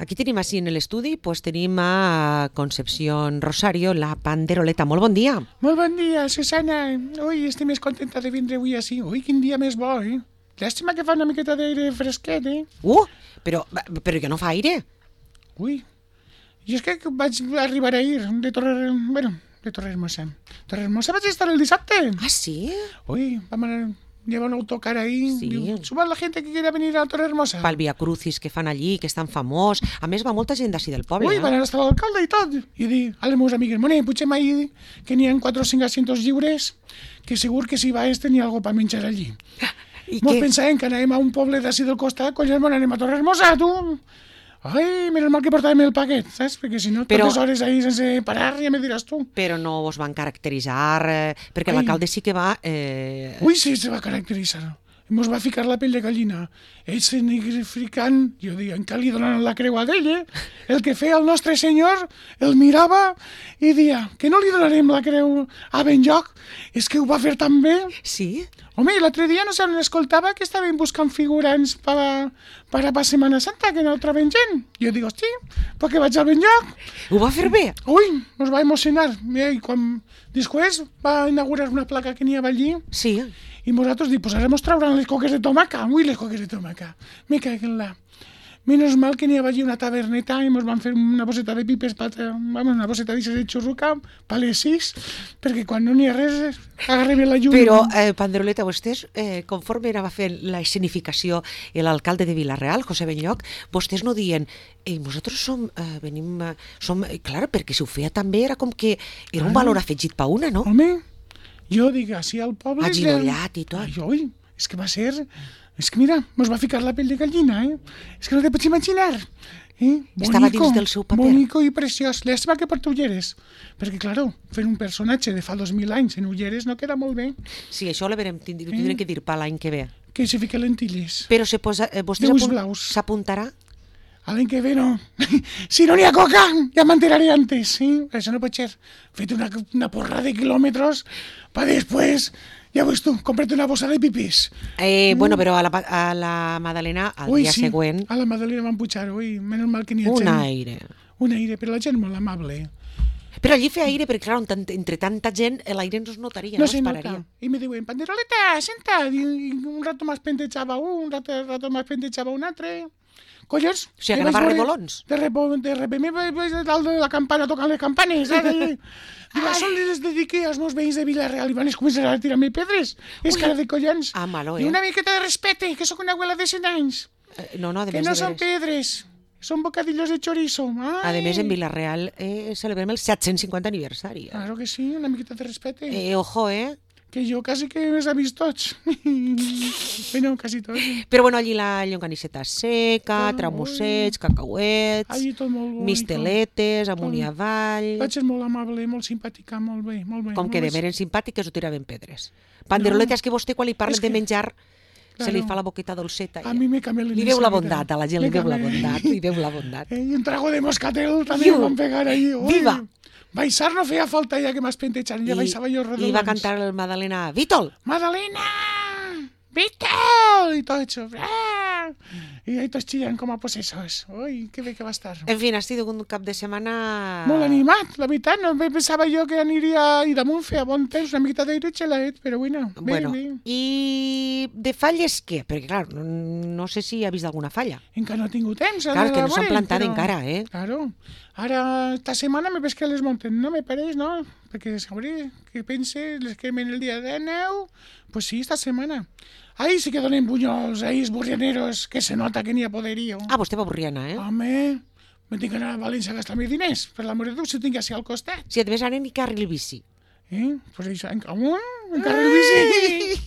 Aquí tenim així en l'estudi, pues tenim a Concepción Rosario, la panderoleta. Molt bon dia. Molt bon dia, Susana. Ui, estic més contenta de vindre avui així. Ui, quin dia més bo, eh? Llàstima que fa una miqueta d'aire fresquet, eh? Però que no fa aire. Ui, i és que vaig arribar ahir de Torrehermosa. Torrehermosa vaig estar el dissabte. Ah, sí? Ui, vam anar... Lleva un autocar ahí. Sí. Diu, suba la gente que quiera venir a Torrehermosa. Pel Via Crucis que fan allí, que és tan famós. A més, va molta gent d'ací del poble. Ui, van anar estar l'alcalde i tot. I dic a les meves amigues, moné, potser mai que n'hi ha 4 o 5 asientos lliures, que segur que si va tenir alguna per menjar allí. Mos pensàvem que anàvem a un poble d'ací del costat, collons, anem a Torrehermosa, tu. Ai, menos mal que portàvem el paquet, saps? Perquè si no, tantes hores ahí sense parar, ja me diràs tu. Però no vos van caracteritzar, perquè l'alcalde sí que va... Ui, sí, se va caracteritzar. Mos va ficar la pell de gallina. Ell se nigrificant, jo dic, encara li donaran la creu a d'ell, eh? El que feia el nostre senyor, el mirava i dia, que no li donarem la creu a Benlloc, és que ho va fer tan bé. Sí? Home, l'altre dia no se n'escoltava que estaven buscant figurants per a Setmana Santa, que no troben gent. Jo dic, hosti, perquè vaig al Benlloc. Ho va fer bé? Ui, ens va emocionar. I quan després va inaugurar una placa que n'hi havia allí. Sí. I nosaltres dic, pues ara mos trauran les coques de tomaca. Ui, les coques de tomaca. Me cago en la... Menos mal que n'hi havia allí una taverneta i mos van fer una bosseta de pipes, una bosseta de xurruca per les 6, perquè quan no n'hi ha res, agarrem la llum. Però, panderoleta, vostès, conforme anava fent la escenificació l'alcalde de Vila-real, José Benlloc, vostès no dient, nosaltres som... Clar, perquè si ho feia també era com que era un valor afegit per una, no? Home, jo dic, així al poble... Aginollat i tot. Ui, és que va ser... És que mira, mos va ficar la pell de gallina, eh? És que no te pots imaginar. Estava dins del seu paper. Bonico i preciós. Llàstima que porta ulleres. Perquè, claro, fer un personatge de fa 2000 anys en ulleres no queda molt bé. Sí, això ho tindrem que dir per l'any que ve. Que se fica lentilles. Però vostès s'apuntarà? L'any que ve no. Si no n'hi ha coca, ja m'enteraré antes. Sí? Això no pot ser. Fet una porra de quilòmetres per després... Ja veus tu, compra't una bossa de pipís. Bueno, però a la Madalena, al dia següent... A la Madalena van pujar, ui, menys mal que n'hi ha gent. Un aire, però la gent molt amable. Però allí feia aire, perquè clar, entre tanta gent l'aire no es notaria, no es pararia. I me diuen, panderoleta, senta, i un rato más pentejava un, un rato más pentejava un altre... Collons... O sigui, que anava a rebolons. De repente vaig dalt de la campana tocant les campanes, eh? Diu, són les dediqué als meus veïns de Vila-real i van començar a tirar-me pedres. És cara de collons. Ah, malo, I una miqueta de respecte, que sóc una abuela de 100 anys. No, de que no són pedres, són bocadillos de chorizo. A més, en Vila-real celebrem el 750 aniversari. Claro que sí, una miqueta de respecte. Ojo, Que jo quasi que més he vist tots. Bueno, quasi tots. Però bueno, allí la llonganisseta seca, tramussets, cacauets, misteletes, amunt i avall... Vaig ser molt amable, molt simpàtica, molt bé. Com que de eren simpàtiques o tiraven pedres. Panderoleta, és que vostè quan li parlen de menjar se li fa la boqueta dolceta. A mi me canvia li veu la bondat, a la gent li veu la bondat. I un trago de moscatel també em van pegar allí. Viva! Baixar no feia falta ja que m'has pentejat, ja baixava jo redolons. I va cantar el Madalena, Vítol! Madalena! Vítol! I tot això. I ahí tots chillant com a possessos. Ui, que bé que va estar. En fi, ha sigut un cap de setmana... Molt animat, la veritat. No pensava jo que aniria i damunt feia bon temps, una miqueta d'aire xelaet, però bé. I de falles què? Perquè, clar, no sé si ha vist alguna falla. Encara no he tingut temps. Clar, que no s'han plantat encara, eh? Claro. Ara, esta setmana me ves que les monten, no me pareix, no? Perquè sabré que pense, les quemen el dia de neu. Pues sí, esta setmana. Ahí sí que donen bunyols, ahí burrianeros, que se nota que n'hi ha poderío. Ah, vostè va burriana, eh? Home, me tinc que anar a València a gastar-me diners, per l'amor de Déu, si ho tinc així al costat. Si et ves ara ni carril bici. Pues això, en carril bici.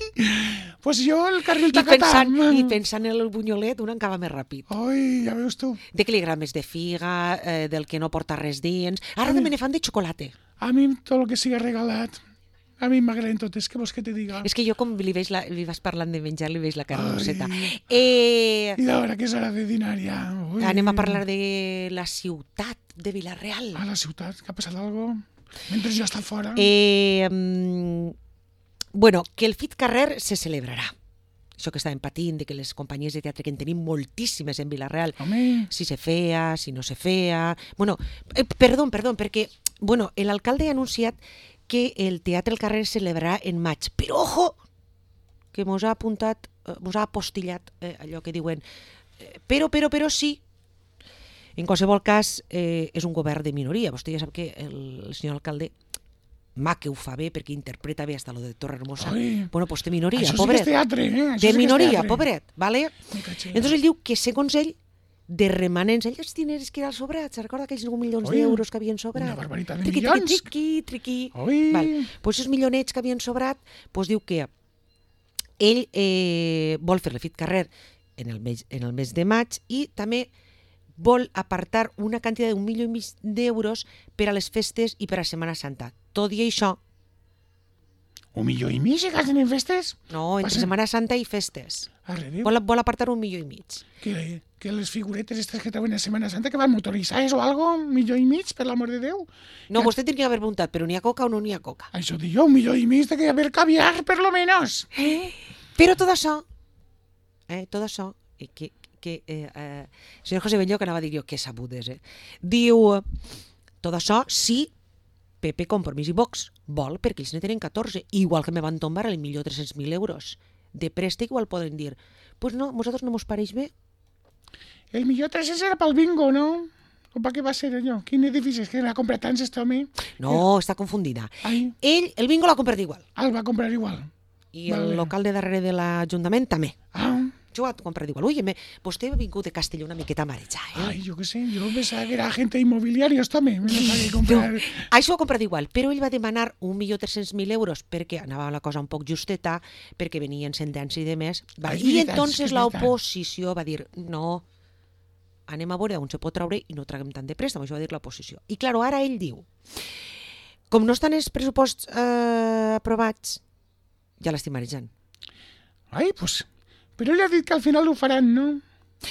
Pues jo el carril tacatà. I pensant en el bunyolet, un acaba més ràpid. Ai, ja veus tu. De què li agrada més de figa, del que no porta res dins. Ara també ne fan de xocolata. A mi tot el que siga regalat. A mi m'agraden totes, què vols que te diga? És que jo com li vas parlant de menjar, li veig la cara roseta. I d'hora que és hora de dinar ja. Anem a parlar de la ciutat de Vila-real. Ah, la ciutat, que ha passat alguna cosa? Mentre jo està fora. Bueno, que el Fit Carrer se celebrarà. això que estàvem patint, de que les companyies de teatre, que en tenim moltíssimes en Vila-real, Home. si se feia, si no se feia... Bueno, perdó, perquè l'alcalde ha anunciat que el Teatre al Carrer se celebrarà en maig. Però, ojo, que mos ha apuntat, mos ha apostillat allò que diuen però sí. En qualsevol cas, és un govern de minoria. Vostè ja sap que el senyor alcalde que ho fa bé perquè interpreta bé hasta lo de Torre Hermosa. Bueno, pues té minoria, això pobret. Això sí que és teatre, Té minoria, pobret, ¿vale? Entonces ell diu que segons ell, de remanents, els diners que eren sobrats, recorda aquells 9 milions d'euros que havien sobrat? Una barbaritat de milions. Triqui. Pues esos milionets que havien sobrat, pues diu que ell vol fer l'Efit Carrer en el mes de maig i també vol apartar una quantitat d'1,5 milió d'euros per a les festes i per a Setmana Santa. Tot i això... 1,5 milió se gasten en festes? No, entre Setmana Santa i festes. Arre, Vol apartar 1,5 milió. Que les figuretes estas que trauen a Setmana Santa que van motoritzades o algo, 1,5 milió, per l'amor de Déu. No, vostè tindria que haver preguntat, però n'hi ha coca o no n'hi ha coca? Això dic jo, 1,5 milió de que haver caviar, per lo menos. Però tot això, senyor José Belló, que anava a dir jo, que sabudes, diu, tot això sí, PP, Compromís i Vox vol, perquè ells ne tenen 14, igual que me van tombar el 1.300.000 euros de préstec, igual poden dir, pues no, nosaltres no mos pareix bé. El 1.300.000 era pel bingo, no? O per què va ser allò? Quin edifici? És que l'ha comprat tants, este home. No, està confundida. Ell, el bingo l'ha comprat igual. El va comprar igual. I el local de darrere de l'Ajuntament també. Jo ho he comprat igual. Ui, vostè ha vingut de Castelló una miqueta marejar, Ai, jo què sé, jo pensava que era agente inmobiliari, també. Això ho ha comprat igual, però ell va demanar 1.300.000 euros perquè anava la cosa un poc justeta, perquè venien sentència i de més. I entonces l'oposició va dir, no, anem a veure on se pot traure i no traguem tant de préstec, això va dir l'oposició. I clar, ara ell diu, com no estan els pressuposts aprovats, ja l'estic marejant. Ai, doncs... Però ell ha dit que al final ho faran, no?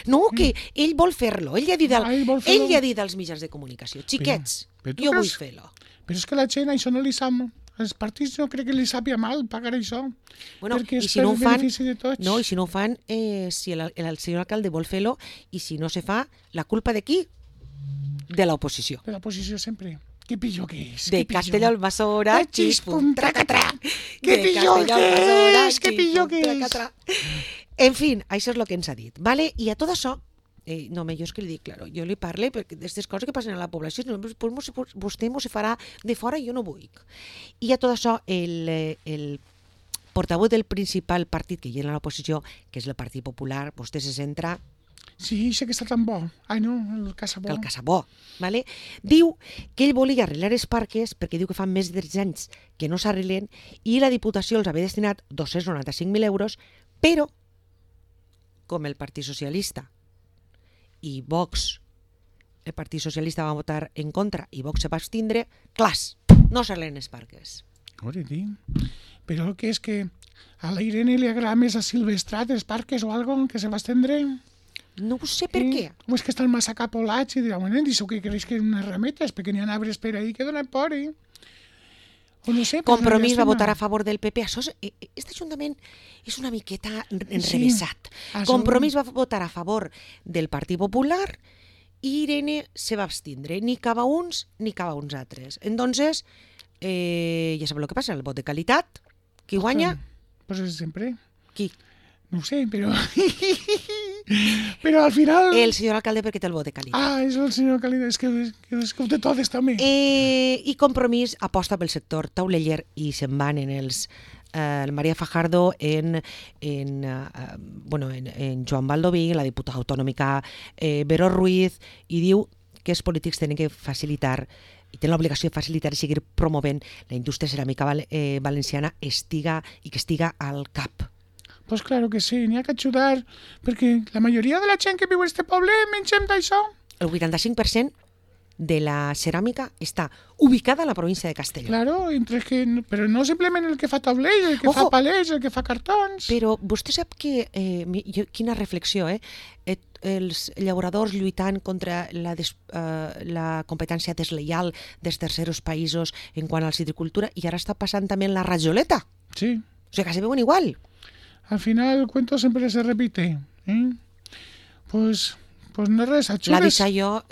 No, que ell vol fer-lo. Ell ja ha dit als mitjans de comunicació. Xiquets, jo vull fer-lo. Però és que la gent això no li sap... Els partits no crec que li sàpia mal pagar això. Bueno, perquè és si no benefici de tots. No, i si no ho fan, si el senyor alcalde vol fer-lo, i si no se fa, la culpa de qui? De l'oposició. De l'oposició sempre. Que pitjor que és. De Castelló-Almassora, xispum, tracatrà. Que pitjor que és, que pitjor que és. En fi, això és el que ens ha dit. Vale? I a tot això, no, jo és que li dic, claro, jo li parle d'aquestes coses que passen a la població, vostè m'ho se farà de fora i jo no vull. I a tot això, el portaveu del principal partit que hi ha a l'oposició, que és el Partit Popular, vostè se centra... Sí, sé que està tan bo. Ai, no, el Casabó. El Casabó, ¿vale? Diu que ell volia arreglar els parques perquè diu que fa més de 3 anys que no s'arreglen i la Diputació els havia destinat 295.000 euros, però com el Partit Socialista i Vox, el Partit Socialista va votar en contra i Vox se va abstindre, clars, no s'arreglen els parques. Però el que és que a la Irene li agrada més a Silvestrat els parques o algo que se va estendre... No ho sé per què. O és que estan massa capolats i dirà, bueno, això que creix que unes rametes, perquè n'hi ha arbres per ahí que donen por, O no sé... Compromís va votar a favor del PP. Aquest ajuntament és una miqueta enrevesat. Compromís va votar a favor del Partit Popular i Irene se va abstindre. Ni cava uns ni cava uns altres. Entonces, ja sabeu el que passa, el vot de qualitat. Qui guanya? Pues és sempre. Qui? No ho sé, però... Però al final... El senyor alcalde perquè té el vot de qualitat. És el senyor alcalde, és que ho té totes també. I Compromís aposta pel sector tauleller i se'n van en els... el María Fajardo en Joan Baldoví, la diputada autonòmica Vero Ruiz, i diu que els polítics tenen que facilitar i tenen l'obligació de facilitar i seguir promovent la indústria ceràmica valenciana i que estiga al cap. Pues claro que sí, n'hi ha que ajudar, perquè la majoria de la gent que viu en este poble mengem d'això. El 85% de la ceràmica està ubicada a la província de Castelló. Claro, però no simplement el que fa taulell, el que fa palets, el que fa cartons. Però vostè sap que, quina reflexió, els llauradors lluitant contra la competència desleial dels terceros països en quant a la citricultura, i ara està passant també en la rajoleta. Sí. O sigui que se veuen igual. Al final el cuento sempre se repite. Pues no res, L'ha atxures. deixat jo...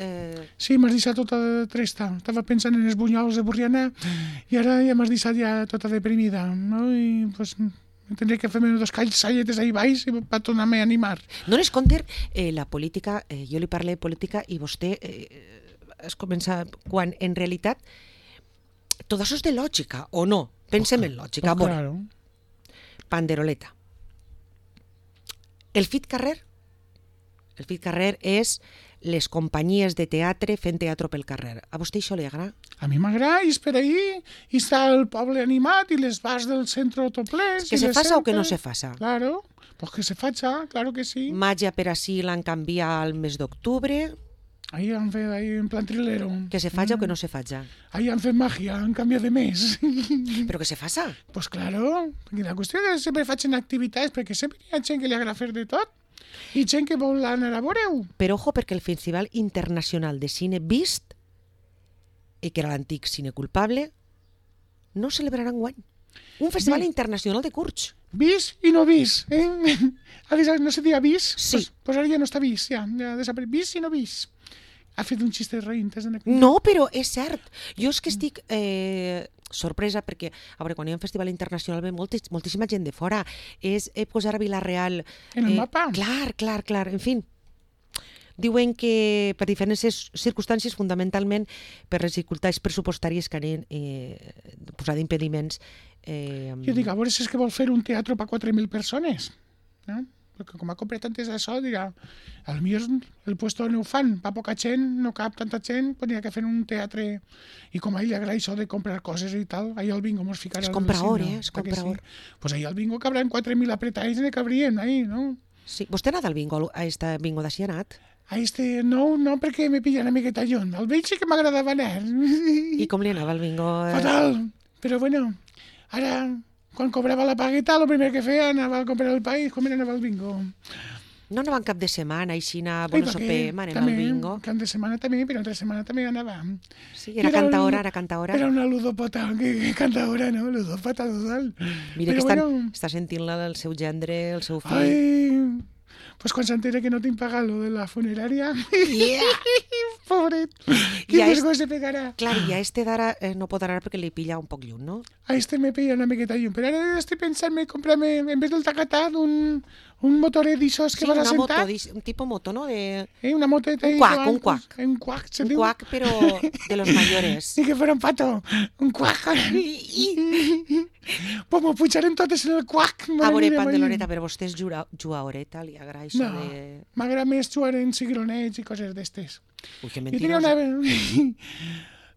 Sí, m'has deixat tota trista. Estava pensant en els bunyols de Borriana i ara ja m'has deixat ja tota deprimida, no? I pues tindré que fer-me dos calletes ahí baix per tornar-me a animar. No n'és compte, la política, jo li parlé de política i vostè es comença quan en realitat tot això és de lògica, o no? Pensem en lògica. Pues claro. Panderoleta. El Fit Carrer és les companyies de teatre fent teatre pel carrer. A vostè això li agrada? A mi m'agrada, i és per ahí, i està el poble animat, i les bars del centre autoplens. Que se faça o que no se faça? Claro, pues que se faça, claro que sí. Màgia per ací l'han canviat al mes d'octubre. Ahí han fet, ahí en plan trilero. Que se faça o que no se faça? Ahí han fet màgia, han canviat de mes. Però que se faça? Pues claro, perquè la qüestió és que sempre facin activitats, perquè sempre hi ha gent que li agrada fer de tot, i gent que vol anar a veure-ho. Però ojo, perquè el Festival Internacional de Cine Vist, que era l'antic Cine Culpable, no celebrarà enguany. Un festival internacional de curts. Vis i no vis, no se dia vis? Sí. Pues ara ja no està vis, ja desapareix. Vis i no vis. Ha fet un xiste de reintes en aquí. No, però és cert. Jo és que estic sorpresa perquè, a veure, quan hi ha un festival internacional ve moltíssima gent de fora. És posar a Vila-real... En el mapa. Clar. En fi, diuen que per diferents circumstàncies, fundamentalment per les dificultats pressupostàries que han posat impediments. Jo dic, a veure si és que vol fer un teatre per 4.000 persones. No? Perquè com ha comprat antes d'això, dirà, al millor el puesto no ho fan, pa poca gent, no cap tanta gent, pues n'hi ha que fer un teatre. I com a ell li agrada això de comprar coses i tal, ahir al bingo mos ficarà... Es compra hora, es compra hora. Pues ahir al bingo cabran 4.000 apretades i ne cabrien, ahí, no? Sí. Vostè ha anat al bingo, a este bingo d'ací ha anat? A no, perquè me pillan una miqueta lluny. Al vell sí que m'agradava anar. I com li anava al bingo? Fatal, però bueno, ara... Quan cobrava la pagueta, el primer que feia anava a comprar el pa i com anava al bingo. No anava en cap de setmana, així bueno, sopem, anem al bingo. Cap de setmana també, però entre setmana també anava. Sí, era cantaora. Era una ludopota, que cantaora, no? Ludopota total. Mira que està sentint-la del seu gendre, el seu fill. Ai, pues quan s'entera que no tinc pagat lo de la funerària... Pobret, quin desgós se pegarà. Clar, i a este d'ara no pot anar perquè li pilla un poc lluny, no? A este me pilla una miqueta lluny, però ara estic pensant-me comprarme, en vez del tacatat, un motoret d'aixòs que vas a sentar. Sí, un tipus moto, no? Una moteta. Un cuac. Un cuac, se diu. Un cuac, però de los mayores. Ni que fuera un pato. Un cuac. Pues m'ho pujarem totes en el cuac. A veure, Panderoleta, però vostè és jugaoreta, li agrada això de... No, m'agrada més jugar en cigronets i coses d'estes. Ui, que mentirosa.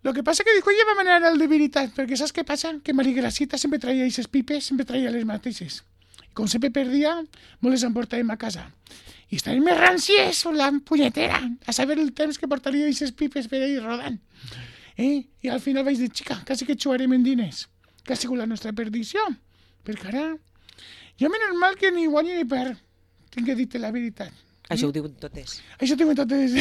Lo que passa que dic, ja vam anar al de veritat, perquè saps què passa? Que Marigracita sempre traia aquestes pipes, sempre traia les mateixes. I com sempre perdia, me les emportàvem a casa. I estaven més ràncies, la punyetera, a saber el temps que portaria aquestes pipes per ahí rodant. I al final vaig dir, xica, quasi que jugarem en diners, que ha sigut la nostra perdició. Perquè ara, jo menys mal que ni guanyo ni perd, tinc que dir-te la veritat. Això ho diuen totes. Això ho diuen totes.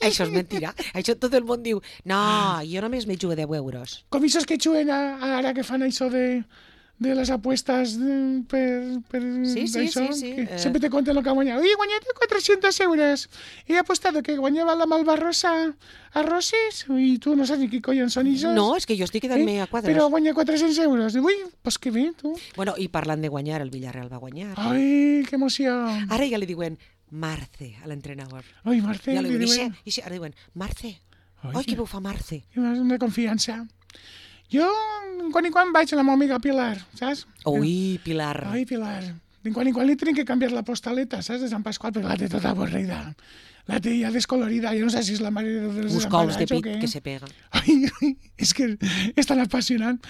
Això és mentira. Això tot el món diu, no, jo només me jugo 10 euros. Com aquests que juguen ara que fan això de les apuestas per sí. Sempre te conten el que ha guanyat. He guanyat 400 euros. He apostat que guanyava la Malvarrosa a Roses i tu no saps ni què collons són això. No, és que jo estic quedant-me a quadres. Però guanya 400 euros. Ui, pues que bé, tu. Bueno, i parlant de guanyar, el Villarreal va guanyar. Ai, que emoció. Ara ja li diuen Marce a l'entrenador. Ai, Marce. Ja li diuen, ara diuen, Marce. Ai, que ho fa Marce. Una confiança. Jo, quan i quan vaig a la meva amiga Pilar, saps? Ui, Pilar. Ai, Pilar. De quan i quan li tenen que canviar la postaleta, saps, de Sant Pasqual, perquè la té tota avorrida. La té ja descolorida, jo no sé si és la mare dels uns cols de pit que se pega. Ai, és que és tan apassionant.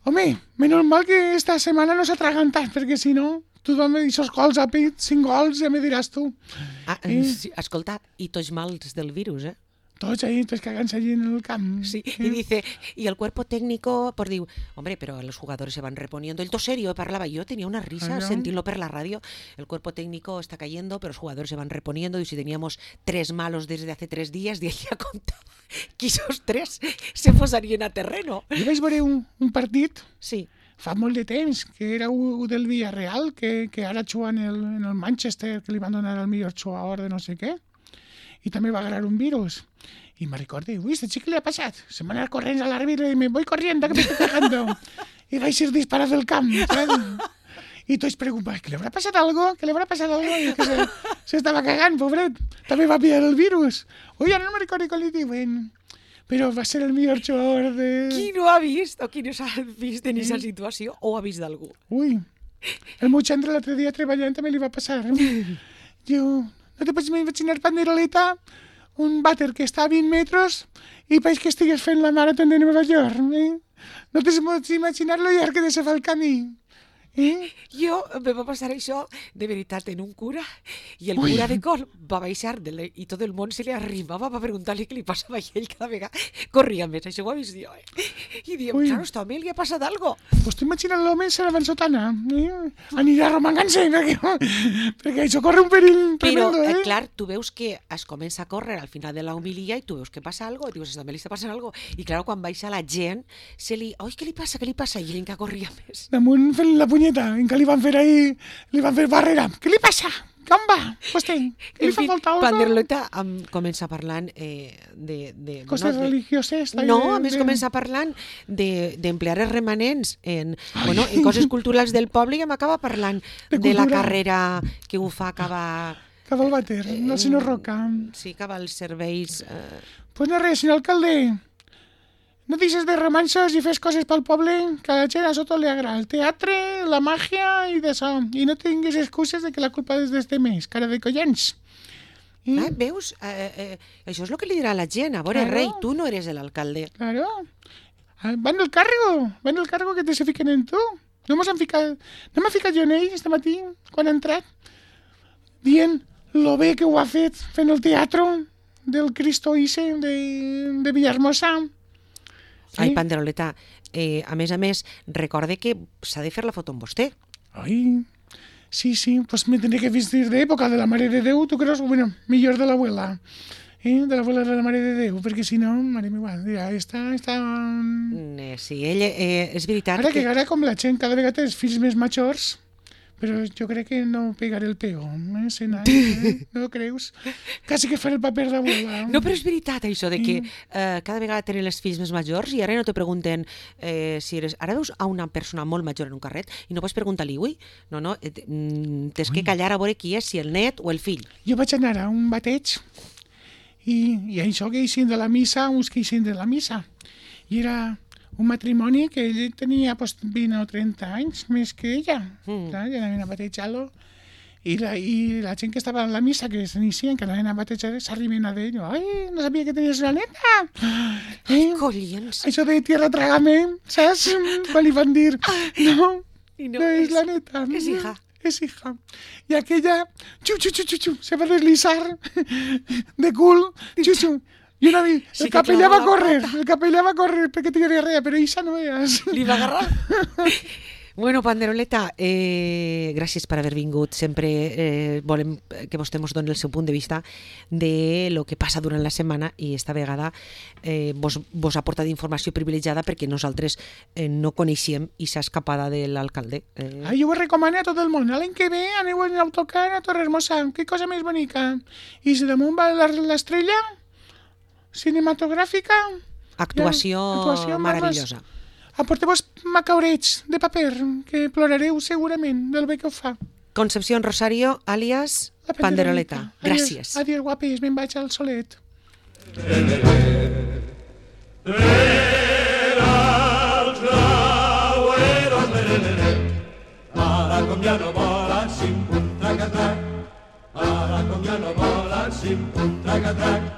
Home, menys mal que esta setmana no s'ha atragantat, perquè si no, tothom aquests cols a pit, 5 gols, ja me diràs tu. Sí, escolta, i tots mals del virus, Tots ahí, tots cagant-se allí en el camp. Sí, y dice, y el cuerpo técnico, pues digo, hombre, pero los jugadores se van reponiendo. El serio, parlaba yo, tenía una risa sentirlo por la radio. El cuerpo técnico está cayendo, pero los jugadores se van reponiendo. Y si teníamos 3 malos desde hace 3 días, de ella contaba que esos 3 se posarían a terreno. Jo vaig veure un partit sí. fa molt de temps, que era un del Villarreal, que ara juga en el Manchester, que li van donar el millor jugador de no sé què, i també va agarrar un virus. Y me recordé, uy, ¿este chico le ha pasado? Se me van a ir corriendo al árbitro y me voy corriendo, que me estoy cagando. Y vais a ir disparado del campo, ¿sabes? Y todos preocupados, ¿que le habrá pasado algo? ¿Que le habrá pasado algo? Y que se estaba cagando, pobret. También va a pillar el virus. Oye, no me recuerdo con el bueno. Però va ser el millor jugador de... Qui no ha vist o qui no s'ha vist en aquesta situació o ha vist d'algú? Ui, el meu xandre l'altre dia treballant també li va passar. Jo, no te pots imaginar, Panderoleta, un vàter que està a 20 metres i veig que estigues fent la marató de Nova York. No te pots imaginar lo llarg que de se fa el camí. Jo me va passar això de veritat en un cura i el cura de col va baixar i tot el món se li arrimava per preguntar-li què li passava i ell cada vegada corria més, això ho ha vist jo. I diem, claro, a este home li ha passat algo. Pues t'imagines l'home serà van sotana, anirà arromangant-se perquè això corre un perill tremendo. Però, clar, tu veus que es comença a córrer al final de la homilia i tu veus que passa algo, i dius, també li està passant algo. I clar, quan baixa la gent, se li, oi, què li passa? I ell encara corria més. Damunt fent la punyeta, en què li van fer ahí, li van fer barrera. Què li passa? Com va? Vostè, li fa falta algo? Panderoleta comença parlant de coses religioses. No, a més comença parlant d'emplear els remanents en coses culturals del poble i m'acaba parlant de la carrera que ho fa acabar... Cava el vàter, el senyor Roca. Sí, cava els serveis... Pues no res, senyor alcalde. No deixes de romansos i fes coses pel poble, que a la gent a sota li agrada. El teatre, la màgia i d'això. I no tinguis excuses de que la culpa és dels demés, cara de collons. Veus? Això és el que li dirà la gent. A veure, rei, tu no eres l'alcalde. Claro. Van del cargo que te se fiquen en tu. No m'ha ficat jo en ell este matí, quan ha entrat, dient lo bé que ho ha fet fent el teatre del Cristo Ise de Villahermosa. Ai, Panderoleta, a més, recorde que s'ha de fer la foto amb vostè. Ai, sí, pues me tendré que vestir de època de la Mare de Déu, tu creus? Bueno, millor de l'abuela. De l'abuela de la Mare de Déu, perquè si no, mare meva, dirà, està... Sí, ell, és veritat que... Ara com la gent cada vegada té els fills més majors, però jo crec que no pegaré el pego, Senai, no creus? Quasi que faré el paper d'abuela. No, però és veritat això de que cada vegada tenen els fills més majors i ara no te pregunten si eres... Ara veus a una persona molt major en un carret i no pots preguntar-li, no, tens que callar a veure qui és, si el net o el fill. Jo vaig anar a un bateig i això que eixin de la missa, uns que eixin de la missa. I era... un matrimoni que ell tenia 20 o 30 anys més que ella. Ja anaven a batejar-lo. I la gent que estava en la missa, que s'inicien, que anaven a batejar, s'arriben a d'ell. Ai, no sabia que tenies una neta. Ai, collons. Això de tierra trágame, saps? Quan li van dir, no és la neta. És hija. És hija. I aquella, se va deslizar de cul, I una vez, el capellà va córrer perquè tenia diarrea, però això no veies. Li va agarrar. Bueno, Panderoleta, gràcies per haver vingut. Sempre volem que vostè ens doni el seu punt de vista de lo que passa durant la setmana i esta vegada vos ha portat informació privilegiada perquè nosaltres no coneixem i s'ha escapada de l'alcalde. Jo ho recomano a tot el món. L'any que ve aneu en autocar a Torrehermosa. Que cosa més bonica. I si damunt va l'estrella cinematogràfica... Actuació meravellosa. Aporteu-vos macaurets de paper, que plorareu segurament del bé que ho fa. Concepción Rosario, alias Panderoleta. Gràcies. Adiós, guapis, me'n vaig al solet. Ara com ja no volen, sim, pum, trac-a-trac. Ara com ja no volen, sim, pum, trac-a-trac.